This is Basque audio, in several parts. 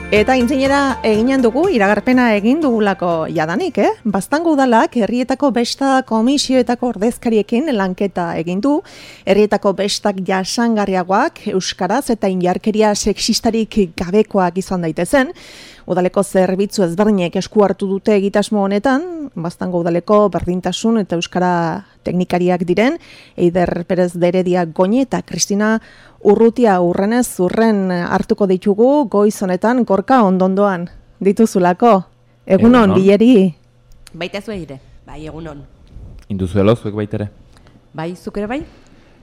Eta intzinera eginen dugu, iragarpena egin dugulako jadanik, Baztango udalak herrietako besta komisioetako ordezkariekin lanketa egin du, herrietako bestak jasangarriagoak, euskaraz eta indarkeria sexistarik gabekoak izan daitezen. Udaleko zerbitzu ezberdinek esku hartu dute egitasmo honetan, Baztango udaleko berdintasun eta euskara teknikariak diren, Eider Perez de Heredia Goñi eta Kristina Urrutia urrenez urren hartuko ditugu goiz honetan Gorka ondondoan dituzulako. Egunon, Bileri. Baita zue ere, bai, egunon. Induzuelo, zuek baitere? Bai, zuk ere bai?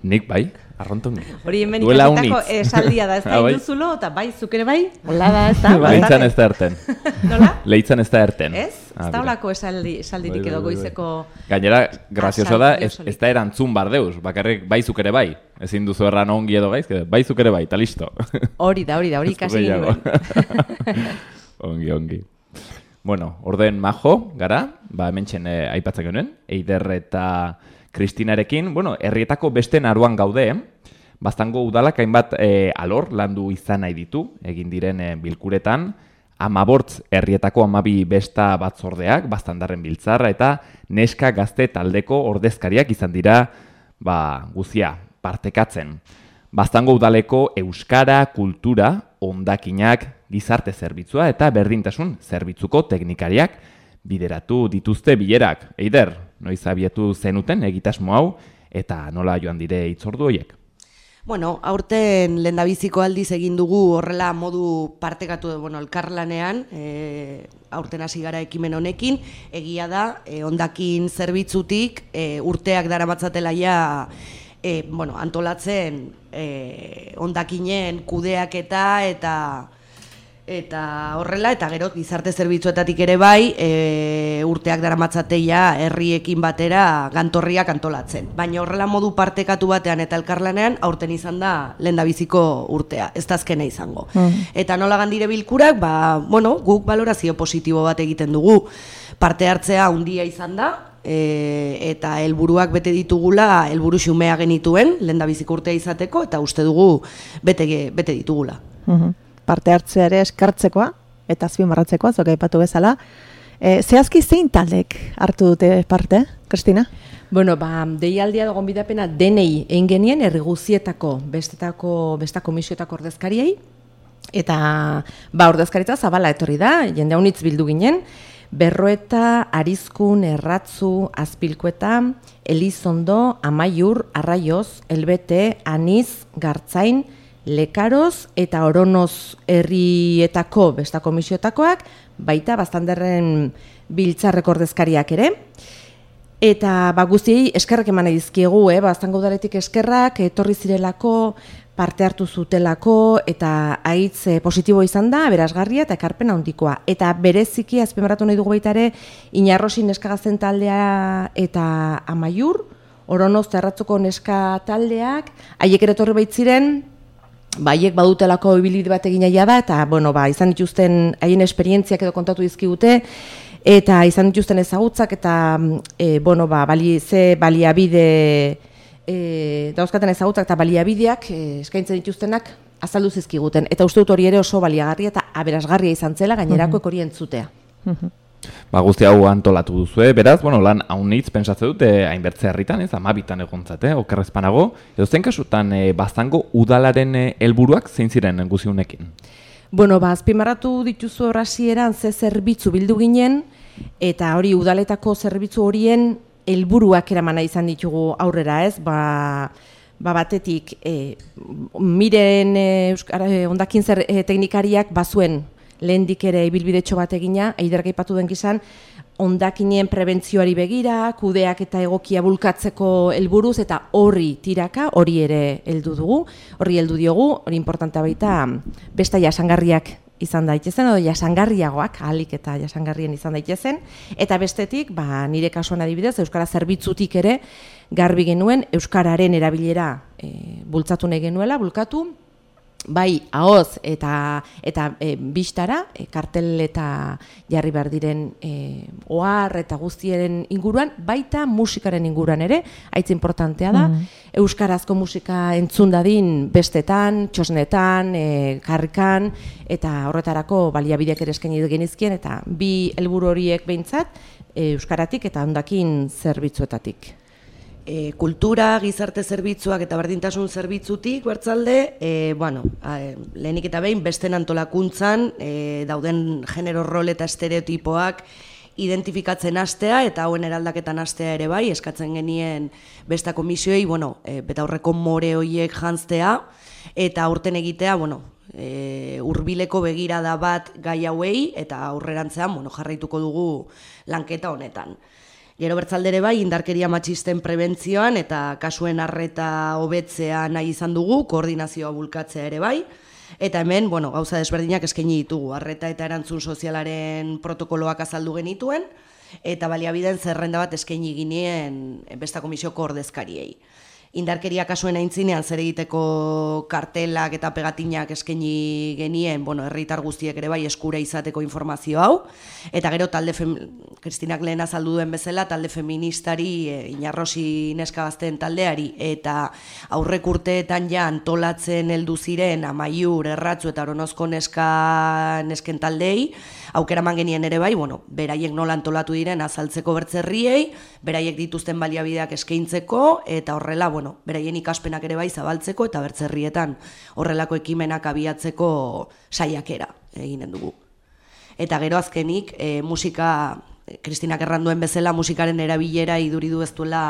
Nik bai, arronton. Hori hemen ikasitako esaldia da, ez da induzulo, eta bai, zuk ere bai? Hola da, ez da? Leitzan ez da erten. Nola? Leitzan ez da erten. Ez? Ez da holako esaldirik edo goizeko... Gainera, grazioso da, ez da erantzun bardeuz, bakarrik bai zuk ere bai. Ezin duzu erran ongi edo gaizke, bai zuk ere bai, eta listo. Hori da, ikasi genuen. Ongi. Bueno, orden majo, gara, hementxen aipatzen genuen, Eider eta Kristinarekin, herrietako beste naruan gaude, Baztango udalak hainbat alor landu izan nahi ditu, egin diren bilkuretan, 15 herrietako 12 besta batzordeak, Baztandarren biltzarra eta neska gazte taldeko ordezkariak izan dira, guzia, partekatzen. Baztango udaleko euskara, kultura, hondakinak, gizarte zerbitzua eta berdintasun zerbitzuko teknikariak bideratu dituzte bilerak. Eider, noiz abiatu zenuten egitasmo hau eta nola joan dire hitzordu horiek? Bueno, aurten lehendabiziko aldiz egin dugu horrela modu partekatu elkarlanean, aurten hasi gara ekimen honekin, egia da, hondakin zerbitzutik urteak daramatzatela ja antolatzen hondakinen kudeaketa eta horrela, eta gero gizarte zerbitzuetatik ere bai, urteak daramatzateia herriekin batera gantorriak antolatzen. Baina horrela modu partekatu batean eta elkarlanean aurten izan da lehendabiziko urtea, ez da azkena izango. Eta nola gandire bilkurak, guk balorazio positibo bat egiten dugu. Parte hartzea handia izan da, eta helburuak bete ditugula, helburu xumea genituen, lehendabiziko urtea izateko, eta uste dugu bete ditugula. Parte hartzea ere eskartzekoa eta azpimarratzekoa, zuk aipatu bezala. Zehazki zein taldek hartu dute parte, Kristina? Deialdia dagoen bidapena denei egin genien herri guztietako besta komisioetako ordezkariei, eta ordezkaritza zabala etorri da, jende haunitz bildu ginen, Berroeta, Arizkun, Erratzu, Azpilkueta, Elizondo, Amaiur, Arraioz, Elbete, Aniz, Gartzain, Lekaroz eta Oronoz herrietako besta komisioetakoak, baita Baztandarren biltzarreko ordezkariak ere. Eta guztiei eskerrak eman dizkiegu, Baztango udaletik eskerrak, etorri zirelako, parte hartu zutelako, eta haitz positibo izan da, aberasgarria eta ekarpen handikoa. Eta bereziki azpimarratu nahi dugu baita ere, Inarrosi neska gazten taldea eta Amaiur, Oronoz eta Erratzuko neska taldeak, haiek ere etorri baitziren, haiek badutelako ibilbide bat egin nahi da, eta izan dituzten haien esperientziak edo kontatu dizkigute, eta izan dituzten ezagutzak, eta ze baliabide dauzkaten ezagutzak eta baliabideak eskaintzen dituztenak azaldu zizkiguten. Eta uste dut hori ere oso baliagarria eta aberasgarria izan zela gainerako hori entzutea. Guzti hau antolatu duzue, beraz, lan haunitz pentsatze dute hainbertze herritan, 12 egontzate, okerrezpanago. Edo zen kasutan Baztango udalaren helburuak zein ziren guziunekin? Azpimarratu dituzu horrasieran ze zerbitzu bildu ginen, eta hori udaletako zerbitzu horien helburuak eramana izan ditugu aurrera, ez? Batetik, miren hondakin teknikariak bazuen lehendik ere ibilbidetxo bat egina, Eiderk aipatu den gizan, hondakinen prebentzioari begira, kudeak eta egokia bulkatzeko helburuz, eta horri tiraka, hori ere heldu dugu, horri heldu diogu, hori importantea baita, besta jasangarriak izan daitezen, edo jasangarriagoak, ahalik eta jasangarrien izan daitezen, eta bestetik, nire kasuan adibidez, euskara zerbitzutik ere, garbi genuen, euskararen erabilera bultzatu nahi genuela, bulkatu, bai ahoz eta bistara, kartel eta jarri behar diren ohar eta guztiaren inguruan, baita musikaren inguruan ere, haitz importantea da, euskarazko musika entzun dadin bestetan, txosnetan, karrikan, eta horretarako baliabideak ere eskaini genizkien, eta bi helburu horiek behintzat, euskaratik eta hondakin zerbitzuetatik. Kultura, gizarte zerbitzuak eta berdintasun zerbitzutik bertzalde, lehenik eta behin besten antolakuntzan dauden genero rol eta estereotipoak identifikatzen hastea eta hauen eraldaketan hastea ere bai, eskatzen genien besta komisioei, betaurreko more horiek jantztea eta aurten egitea, hurbileko begirada bat gai hauei eta aurrerantzean jarraituko dugu lanketa honetan. Gero bertzaldere bai, indarkeria matxisten prebentzioan eta kasuen arreta hobetzea nahi izan dugu, koordinazioa bulkatzea ere bai, eta hemen, gauza desberdinak eskaini ditugu, arreta eta erantzun sozialaren protokoloak azaldu genituen, eta baliabideen zerrenda bat eskaini ginien besta komisioko ordezkariei. Indarkeria kasuen aintzinean zer egiteko kartelak eta pegatinak eskaini genien, herritar guztiek ere bai eskura izateko informazio hau, eta gero Kristinak lehen azaldu duen bezala, talde feministari, Inarrosi neska gazteen taldeari, eta aurrek urteetan ja antolatzen heldu ziren Amaiur, Erratzu eta Aronozko nesken taldei, aukeraman genien ere bai, beraiek nola antolatu diren azaltzeko bertzerriei, beraiek dituzten baliabideak eskaintzeko, eta horrela, beraien ikaspenak ere bai zabaltzeko eta bertzerrietan horrelako ekimenak abiatzeko saiakera eginen dugu. Eta gero azkenik, musika, Kristinak erranduen bezala, musikaren erabilera iduridu ez duela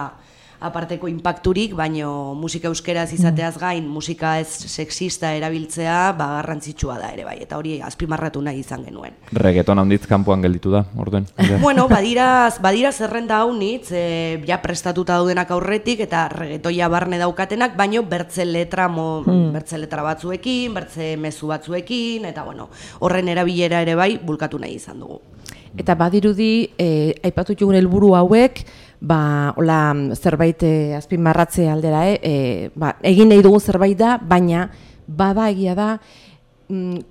aparteko inpakturik, baino musika euskeraz izateaz gain, musika ez sexista erabiltzea, garrantzitsua da ere bai, eta hori azpimarratu nahi izan genuen. Reggaeton handitz kanpoan gelditu da, orduen? Badira zerrenda haunitz, ja prestatuta daudenak aurretik, eta reggaetoia barne daukatenak, baino bertze letra batzuekin, bertze mezu batzuekin, eta horren erabilera ere bai, bulkatu nahi izan dugu. Eta badirudi, aipatu jugun helburu hauek, zerbait azpimarratze aldera, egin nahi dugu zerbait da, baina bada egia da,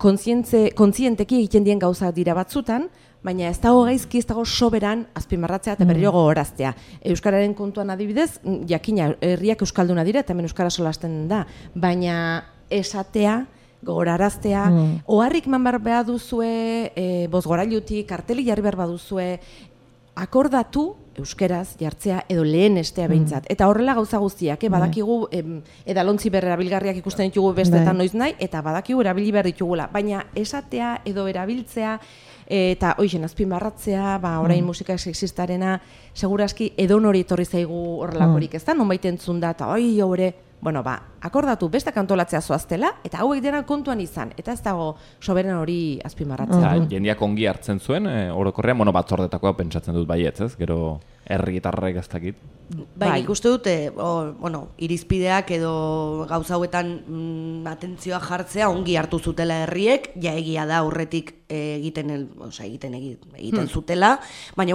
kontzienteki egiten dien gauza dira batzutan, baina ez dago gaizki, ez dago soberan azpimarratzea eta berriro gogoraztea. Euskararen kontuan adibidez, jakina, herriak euskalduna dira, eta hemen euskara solasten da, baina esatea, gogoraraztea, oharrik man behar duzue, bozgorailutik, karteli jarri behar baduzue, akordatu euskeraz jartzea edo lehen estea behintzat. Eta horrela gauza guztiak, badakigu edalontzi erabilgarriak ikusten ditugu bestetan noiz nahi, eta badakigu erabili behar ditugula. Baina esatea edo erabiltzea, eta hoixen azpimarratzea, orain musika sexistarena, segurazki edon hori etorri zaigu horrelakorik, ez da? Nonbait entzun da, eta hori, akordatu bestak antolatzea zoaztela, eta hauek dena kontuan izan, eta ez dago soberen hori azpimarratzea. Jendiak ongi hartzen zuen, orokorrean, batzordetakoa pentsatzen dut baietz, ez? Gero herritarrek ez dakit. Bai, ikuste dute, irizpideak edo gauza hauetan atentzioa jartzea ongi hartu zutela herriek, ja egia da aurretik egiten zutela, baina,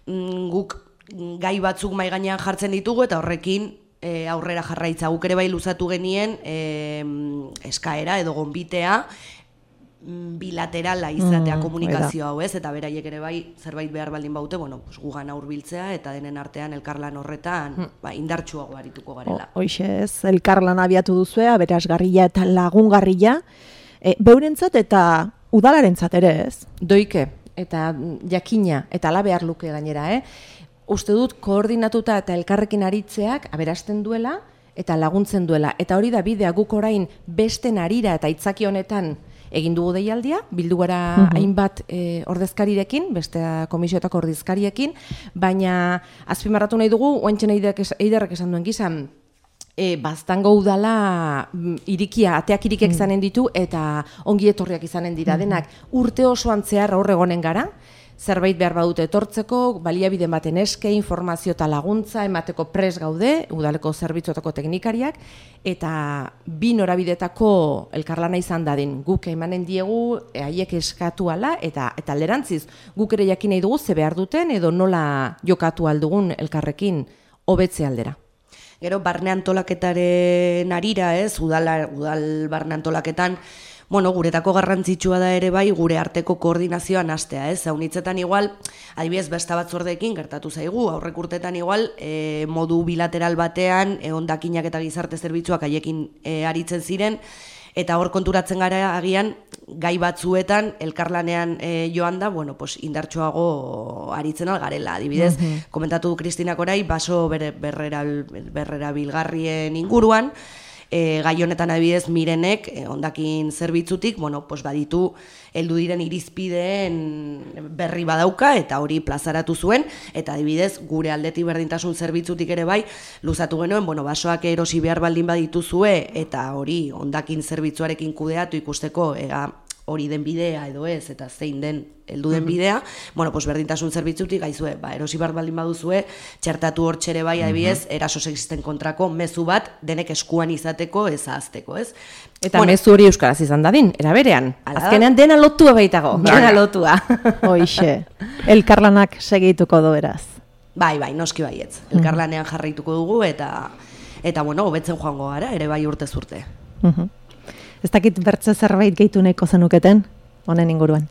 guk gai batzuk mahai gainean jartzen ditugu eta horrekin aurrera jarraitza. Guk ere bai luzatu genien eskaera edo gonbitea bilaterala izatea komunikazio hau, ez? Eta beraiek ere bai zerbait behar baldin baute, gugana hurbiltzea eta denen artean elkarlan horretan indartsuago arituko garela. Hoixe ez, elkarlan abiatu duzue, aberasgarria eta lagungarria, beurentzat eta udalarentzat ere ez? Doike, eta jakina, eta ala behar luke gainera, Uste dut koordinatuta eta elkarrekin aritzeak aberasten duela eta laguntzen duela. Eta hori da bidea guk orain beste narira eta itzaki honetan egin dugu deialdia, bildu gara hainbat ordezkarirekin, beste komisioetako ordezkariekin, baina azpimarratu nahi dugu, oantxen eiderrek esan duen gizan, baztango udala ateak irikiak izanen ditu eta ongi etorriak izanen dira denak. Urte osoan zehar horregonen gara, zerbait behar badute etortzeko, baliabide baten eske, informazio eta laguntza, emateko pres gaude, udaleko zerbitzuetako teknikariak, eta bi norabidetako elkarlana izan dadin. Guk emanen diegu, haiek eskatu ala, eta alderantziz, guk ere jakin nahi dugu ze behar duten, edo nola jokatu aldugun elkarrekin hobetze aldera. Gero, barne antolaketaren arira, udal barne antolaketan, bueno, guretako garrantzitsua da ere bai gure arteko koordinazioa nastea, ez? Zaunitzetan igual, adibidez besta batzordeekin gertatu zaigu, aurrek urtetan igual, modu bilateral batean, hondakinak eta gizarte zerbitzuak haiekin aritzen ziren, eta hor konturatzen gara agian, gai batzuetan, elkarlanean joan da, bueno, pues, indartsuago aritzen algarela, adibidez, komentatu du Kristinak orai, baso berrera bilgarrien inguruan, gai honetan adibidez Mirenek hondakin zerbitzutik, bueno, pues baditu heldu diren irizpideen berri badauka eta hori plazaratu zuen, eta adibidez gure aldetik berdintasun zerbitzutik ere bai luzatu genuen, bueno, basoak erosi behar baldin badituzue eta hori hondakin zerbitzuarekin kudeatu ikusteko hori den bidea edo ez, eta zein den heldu den bidea, bueno, pues berdintasun zerbitzutik gaizue, erosi behar baldin baduzue, txertatu hor txere bai adibidez, eraso sexisten kontrako mezu bat denek eskuan izateko ez ahazteko, ez? Eta bueno, mezu hori euskaraz izan dadin, era berean. Azkenean dena lotua baitago, dena lotua. Hoixe, elkarlanak segituko du eraz. Bai, noski baietz. Elkarlanean jarraituko dugu eta bueno, hobetzen joango gara, ere bai urtez urte. Ez dakit bertze zerbait gehitu nahiko zenuketen, honen inguruan.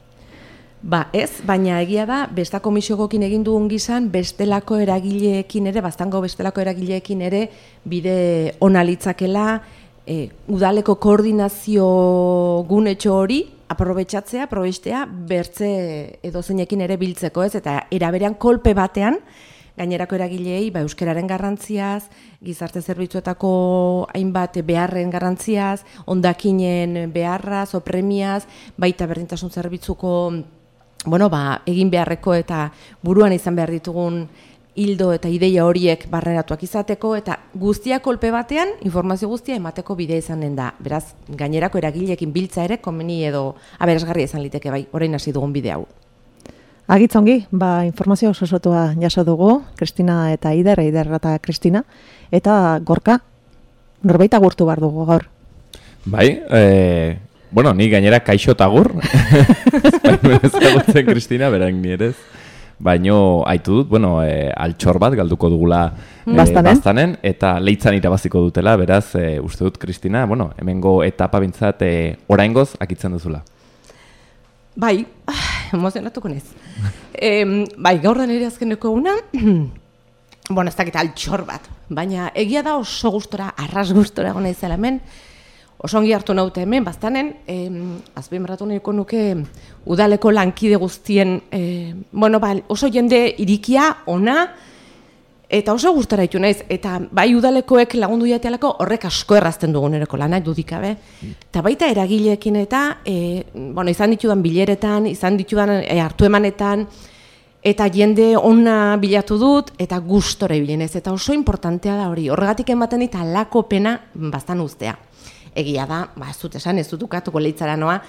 Ba, ez, baina egia da, besta komisiokokin egin dugun gizan, bestelako eragileekin ere, bastango bestelako eragileekin ere, bide ona litzakela, udaleko koordinazio gunetxo hori, aprobetxea, bertze edozeinekin ere biltzeko ez, eta eraberean kolpe batean, gainerako eragileei euskararen garrantziaz, gizarte zerbitzuetako hainbat beharren garrantziaz, hondakinen beharraz o premiaz, baita berdintasun zerbitzuko egin beharreko eta buruan izan behar ditugun hildo eta ideia horiek barneratuak izateko, eta guztia kolpe batean, informazio guztia emateko bidea izanen da. Beraz, gainerako eragileekin biltza ere, komeni edo aberasgarria izan liteke bai, orain hasi dugun bide hau. Agitzongi, informazio osotua jaso dugu, Kristina eta Eider eta Kristina, eta Gorka, norbait agurtu behar dugu gaur. Bai, ni gainera kaixo eta agur, ezagutzen Kristina, berak nierez, baino haitu dut, altxor bat galduko dugula Baztanen, eta leitzan irabaziko dutela, beraz, uste dut Kristina, hemengo etapa bintzat oraingoz akitzen duzula. Bai, emozionatuko nez. Gaur da nire azkeneko eguna, ez dakit altxor bat, baina egia da oso gustora, arras gustora egon naizela hemen, oso ongi hartu naute hemen, Baztanen, azpimarratu nahiko nuke udaleko lankide guztien, oso jende irikia, ona, eta oso gustora ditu naiz, eta bai udalekoek lagundu jatealako horrek asko errazten dugun ereko lana, dudikabe. Eta baita eragileekin eta, izan ditudan bileretan, izan ditudan hartu emanetan, eta jende ona bilatu dut, eta gustora ibilenez, eta oso importantea da hori. Horregatik ematen dit alako pena Baztan uztea. Egia da, ez dut esan, ez dut ukatuko leitzara noa,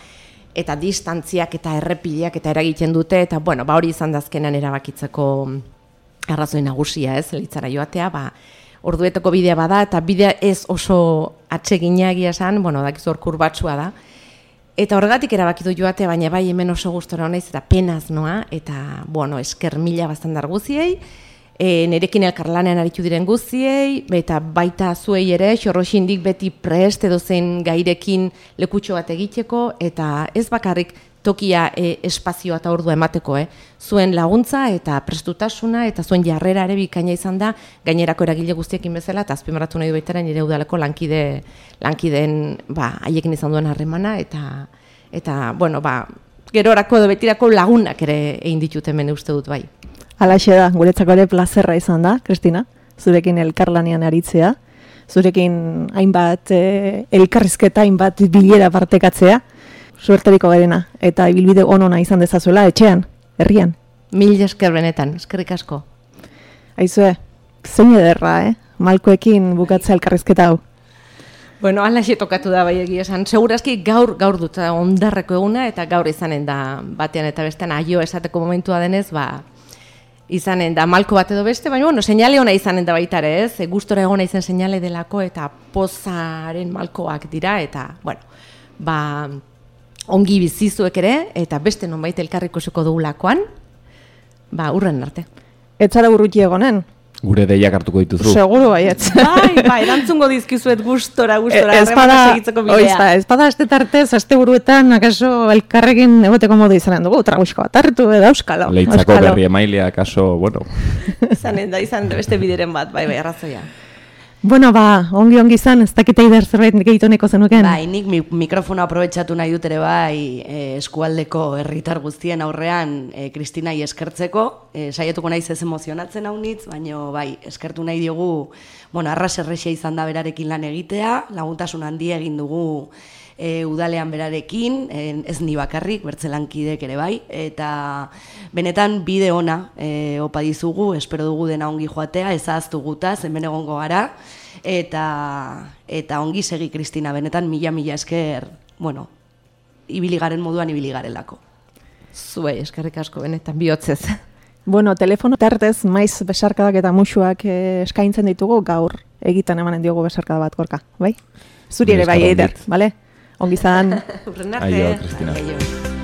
eta distantziak eta errepideak eta eragiten dute, eta hori izan dazkenan erabakitzeko arrazoi nagusia, ez, leitzara joatea, orduetako bidea bada, eta bidea ez oso atseginak esan, dakizu hor kurbatsua da. Eta horregatik erabakitu joatea, baina bai hemen oso gustora honaiz, eta penaz noa, eta, esker mila Baztandar guziei, nerekin elkarlanean aritu diren guziei, eta baita zuei ere, xorroxindik beti prest edo zen gairekin lekutxo bat egiteko, eta ez bakarrik tokia espazioa eta ordua emateko, zuen laguntza eta prestutasuna eta zuen jarrera ere bikaina izan da gainerako eragile guztiekin bezala, eta azpimarratu nahi du baitaren nire udaleko lankideen haiekin izan duen harremana, eta gerorako edo betirako lagunak ere egin ditut hemen uste dut bai. Halaxe da, guretzako ere plazerra izan da, Kristina, zurekin elkarlanean aritzea, zurekin hainbat elkarrizketa, hainbat bilera partekatzea, suerteriko garena, eta ibilbide onona izan dezazuela, etxean, herrian. Mil esker benetan, eskerrik asko. Aizue, zein ederra, Malkoekin bukatzea elkarrizketa hau. Halaxe tokatu da bai egia esan. Segurazki gaur dut ondarreko eguna, eta gaur izanen da batean eta bestean aio esateko momentua denez, izanen da malko bat edo beste, baina seinale ona izanen da baitare, ez? Gustora egona izan seinale delako, eta pozaren malkoak dira, eta, ongi bizizuek ere, eta beste nonbait elkarriko zuko dugulakoan, urren arte. Ez zara urruti egonen, Gure deiak hartuko dituzu. Seguru baietz. Bai, erantzungo dizkizuet gustora, segitzeko bidea. Espada aste tartez, aste buruetan, akaso elkarrekin egoteko modu izanen dugu, tragusko bat hartu edo euskalo. Leitzako berri emailea, akaso, bueno. Izanen da beste bideren bat, bai, arrazoia. Bueno, ongi izan, ez dakite Eider zerbait gehitoneko zenuken? Bai, nik mikrofono aprobetxatu nahi dut ere bai eskualdeko herritar guztien aurrean Kristinai eskertzeko. Saiatuko naiz ez emozionatzen haunitz, baina bai, eskertu nahi diogu, arras errexea izan da berarekin lan egitea, laguntasun handia egin dugu udalean berarekin, ez ni bakarrik, bertzelankidek ere bai, eta benetan bide ona opa dizugu, espero dugu dena ongi joatea, ez ahaztu gutaz, hemen egongo gara, eta ongi segi Kristina, benetan mila esker, ibili garen moduan ibili garelako. Zuei, eskerrik asko, benetan bihotzez. Bueno, telefono tartez, maiz besarkadak eta musuak eskaintzen ditugu, gaur egiten emanen diogu besarkada bat, Gorka, bai? Zuri ere bai, Eider, bale? Ongi zan. Urren arte. Aio, Kristina.